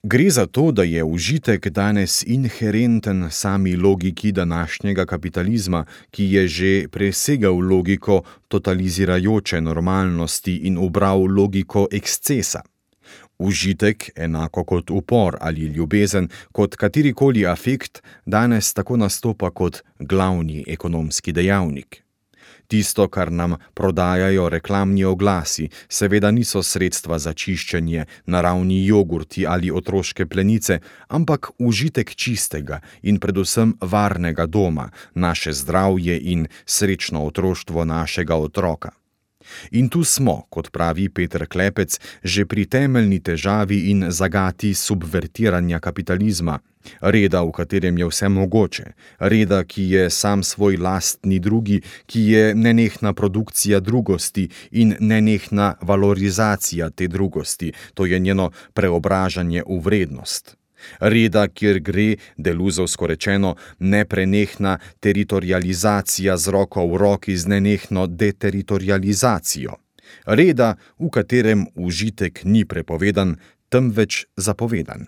Gre za to, da je užitek danes inherenten sami logiki današnjega kapitalizma, ki je že presegal logiko totalizirajoče normalnosti in ubral logiko ekscesa. Užitek, enako kot upor ali ljubezen, kot katerikoli afekt, danes tako nastopa kot glavni ekonomski dejavnik. Tisto, kar nam prodajajo reklamni oglasi, seveda niso sredstva za čiščenje, naravni jogurti ali otroške plenice, ampak užitek čistega in predvsem varnega doma, naše zdravje in srečno otroštvo našega otroka. In tu smo, kot pravi Peter Klepec, že pri temeljni težavi in zagati subvertiranja kapitalizma, reda, v katerem je vse mogoče, reda, ki je sam svoj lastni drugi, ki je nenehna produkcija drugosti in nenehna valorizacija te drugosti, to je njeno preobražanje v vrednost. Reda, kjer gre, deluzovsko rečeno, neprenehna teritorializacija z roko v roki z nenehno deteritorializacijo. Reda, v katerem užitek ni prepovedan, temveč zapovedan.